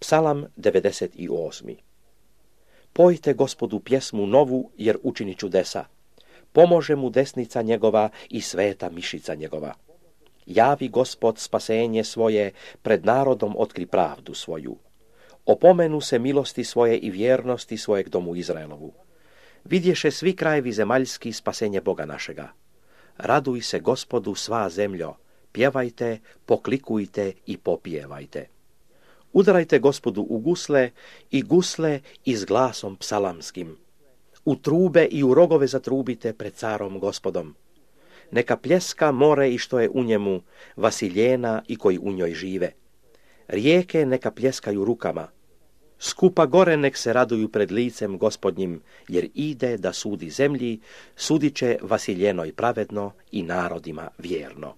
Psalam 98. Pojte Gospodu pjesmu novu, jer učini čudesa. Pomože mu desnica njegova i sveta mišica njegova. Javi Gospod spasenje svoje, pred narodom otkri pravdu svoju. Opomenu se milosti svoje i vjernosti svojeg domu Izraelovu. Vidješe svi krajevi zemaljski spasenje Boga našega. Raduj se Gospodu sva zemljo, pjevajte, poklikujte i popijevajte. Udarajte Gospodu u gusle i s glasom psalamskim. U trube i u rogove zatrubite pred carom Gospodom. Neka pljeska more i što je u njemu, Vasiljena i koji u njoj žive. Rijeke neka pljeskaju rukama. Skupa gore nek se raduju pred licem Gospodnjim, jer ide da sudi zemlji, sudit će Vasiljenoj pravedno i narodima vjerno.